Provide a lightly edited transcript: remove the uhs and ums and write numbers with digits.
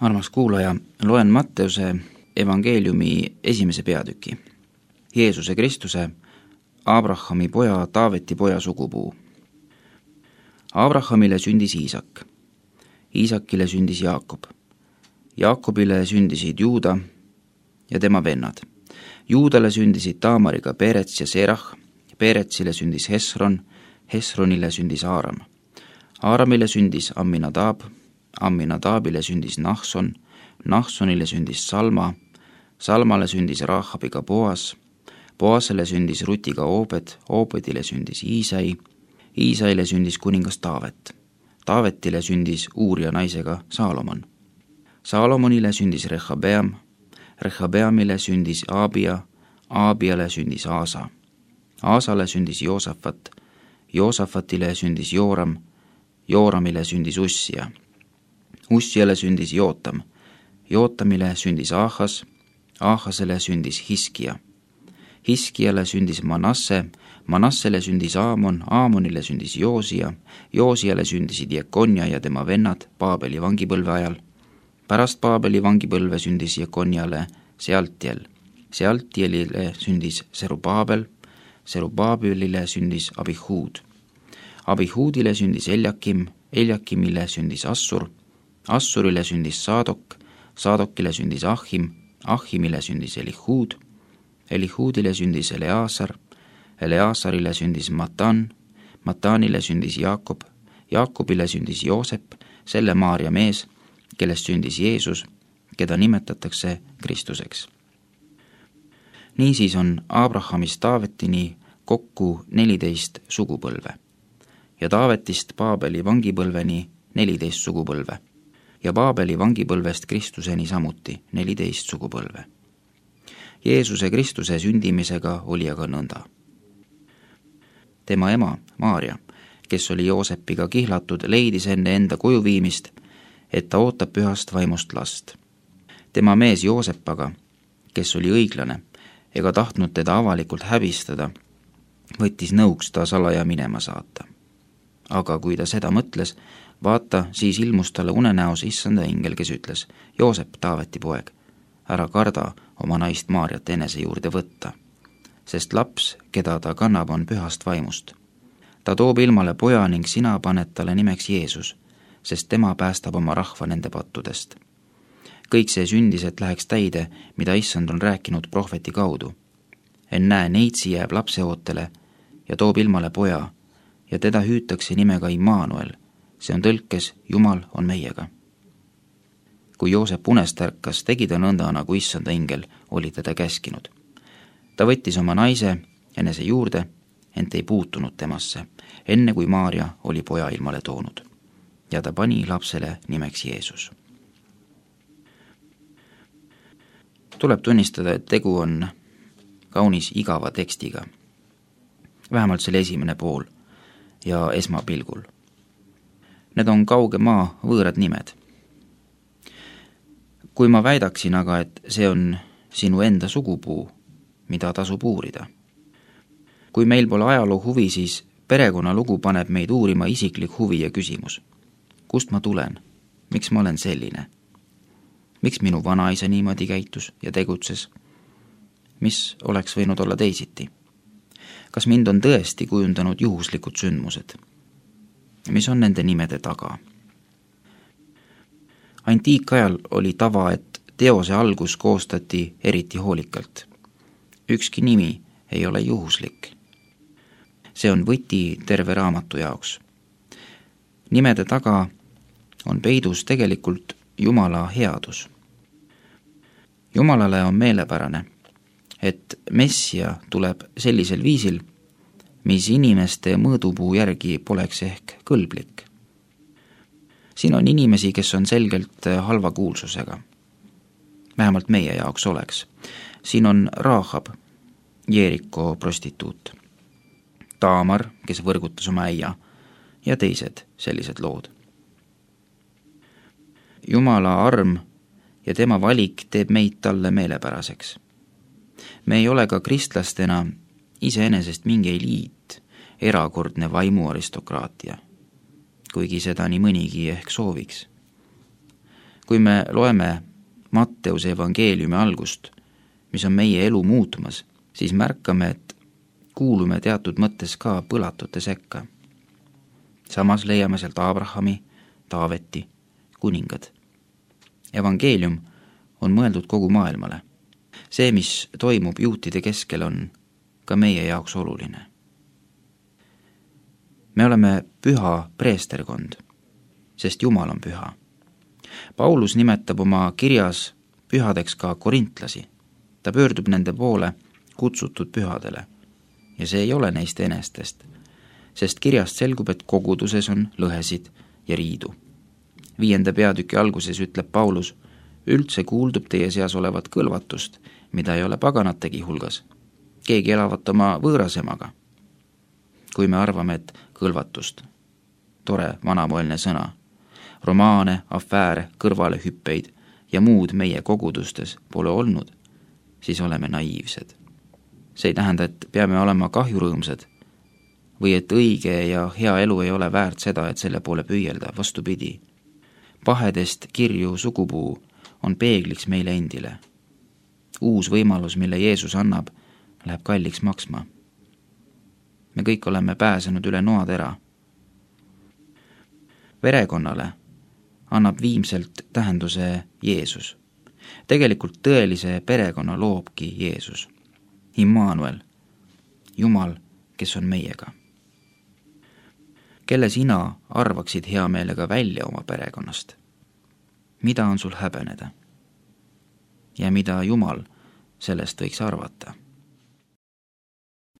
Armas kuulaja, loen Matteuse evangeeliumi 1. peatüki. Jeesuse Kristuse, Abrahami poja, Taaveti poja sugupuu. Abrahamile sündis Iisak, Iisakile sündis Jaakob, Jaakobile sündisid Juuda ja tema vennad. Juudale sündisid Taamariga Perets ja Serah, Peretsile sündis Hesron, Hesronile sündis Aaram, Aaramile sündis Amminadab, Amminadabile sündis Nahson, Nahsonile sündis Salma, Salmale sündis Raahabiga Boas, Boasele sündis Rutiga Oobed, Oobedile sündis Iisai, Iisaile sündis kuningas Taavet, Taavetile sündis Uuria naisega Saalomon, Saalomonile sündis Rehabeam, Rehabeamile sündis Aabia, Aabiale sündis Aasa, Aasale sündis Joosafat, Joosafatile sündis Jooram, Jooramile sündis Ussia, Ussiale sündis Jootam, Jootamile sündis Aahas, Aahasele sündis Hiskia, Hiskiale sündis Manasse, Manassele sündis Aamon, Aamonile sündis Joosia, Joosiale sündisid Jekonja ja tema vennad Paabeli vangipõlve ajal. Pärast Paabeli vangipõlve sündis Jekonjale Sealtiel, Sealtielile sündis Serubaabel, Serubaabelile sündis Abihuud, Abihuudile sündis Eljakim, Eljakimile sündis Assur, Assurile sündis Saadok, Saadokile sündis Ahim, Ahimile sündis Elihuud, Elihuudile sündis Eleasar, Eleasarile sündis Matan, Matanile sündis Jaakob, Jaakobile sündis Joosep, selle Maaria mees, kellest sündis Jeesus, keda nimetatakse Kristuseks. Niisiis on Abrahamist Taavetini kokku 14 sugupõlve ja Taavetist Paabeli vangipõlveni 14 sugupõlve ja Paabeli vangipõlvest Kristuseni samuti 14 sugupõlve. Jeesuse Kristuse sündimisega oli aga nõnda. Tema ema, Maaria, kes oli Joosepiga kihlatud, leidis enne enda koju viimist, et ta ootab pühast vaimust last. Tema mees Joosep aga, kes oli õiglane ega tahtnud teda avalikult häbistada, võttis nõuks ta salaja minema saata. Aga kui ta seda mõtles, vaata, siis ilmus talle unenäos issanda ingel, kes ütles: Joosep, Taaveti poeg, ära karda oma naist Maariat enese juurde võtta, sest laps, keda ta kannab, on pühast vaimust. Ta toob ilmale poja ning sina paned talle nimeks Jeesus, sest tema päästab oma rahva nende pattudest. Kõik see sündis, et läheks täide, mida issand on rääkinud prohveti kaudu. Ennäe, neitsi jääb lapseootele ja toob ilmale poja ja teda hüütakse nimega Immanuel, see on tõlkes Jumal on meiega. Kui Joosep unest ärkas, tegi ta nõnda, nagu issanda ingel oli teda käskinud. Ta võttis oma naise enese juurde, ent ei puutunud temasse, enne kui Maaria oli poja ilmale toonud. Ja ta pani lapsele nimeks Jeesus. Tuleb tunnistada, et tegu on kaunis igava tekstiga. Vähemalt selle esimene pool ja esmapilgul. Need on kauge maa võõrad nimed. Kui ma väidaksin aga, et see on sinu enda sugupuu, mida tasub uurida. Kui meil pole ajaloo huvi, siis perekonnalugu paneb meid uurima isiklik huvi ja küsimus. Kust ma tulen? Miks ma olen selline? Miks minu vanaisa niimoodi käitus ja tegutses? Mis oleks võinud olla teisiti? Kas mind on tõesti kujundanud juhuslikud sündmused? Mis on nende nimede taga? Antiikajal oli tava, et teose algus koostati eriti hoolikalt. Ükski nimi ei ole juhuslik. See on võti terve raamatu jaoks. Nimede taga on peidus tegelikult Jumala headus. Jumalale on meelepärane, et Messia tuleb sellisel viisil, mis inimeste mõõdupuu järgi poleks ehk kõlblik. Siin on inimesi, kes on selgelt halva kuulsusega. Vähemalt meie jaoks oleks. Siin on Rahab, Jeeriko prostituut, Taamar, kes võrgutas oma äia ja teised sellised lood. Jumala arm ja tema valik teeb meid talle meelepäraseks. Me ei ole ka kristlastena iseenesest mingi eliit, erakordne vaimuaristokraatia, kuigi seda nii mõnigi ehk sooviks. kui me loeme Matteuse evangeeliumi algust, mis on meie elu muutmas, siis märkame, et kuulume teatud mõttes ka põlatute sekka. Samas leiame sealt Abrahami, Taaveti, kuningad. Evangeelium on mõeldud kogu maailmale. See, mis toimub juutide keskel, on ka meie jaoks oluline. Me oleme püha preesterkond, sest Jumal on püha. Paulus nimetab oma kirjas pühadeks ka korintlasi. Ta pöördub nende poole kutsutud pühadele ja see ei ole neist enestest, sest kirjast selgub, et koguduses on lõhesid ja riidu. 5. peatüki alguses ütleb Paulus, üldse kuuldub teie seas olevat kõlvatust, mida ei ole paganategi hulgas. Keegi elavat oma võõrasemaga. Kui me arvame, et kõlvatust, tore vanamoelne sõna, romaane, afääre, kõrvalehüppeid ja muud meie kogudustes pole olnud, siis oleme naiivsed. See ei tähenda, et peame olema kahjurõõmsad või et õige ja hea elu ei ole väärt seda, et selle poole püüelda, vastupidi. Pahedest kirju sugupuu on peegliks meile endile. Uus võimalus, mille Jeesus annab, läheb kalliks maksma. Me kõik oleme pääsenud üle noatera. Verekonnale annab viimselt tähenduse Jeesus. Tegelikult tõelise perekonna loobki Jeesus. Immanuel, Jumal, kes on meiega. Kelle sina arvaksid hea meelega välja oma perekonnast? Mida on sul häbeneda? Ja mida Jumal sellest võiks arvata?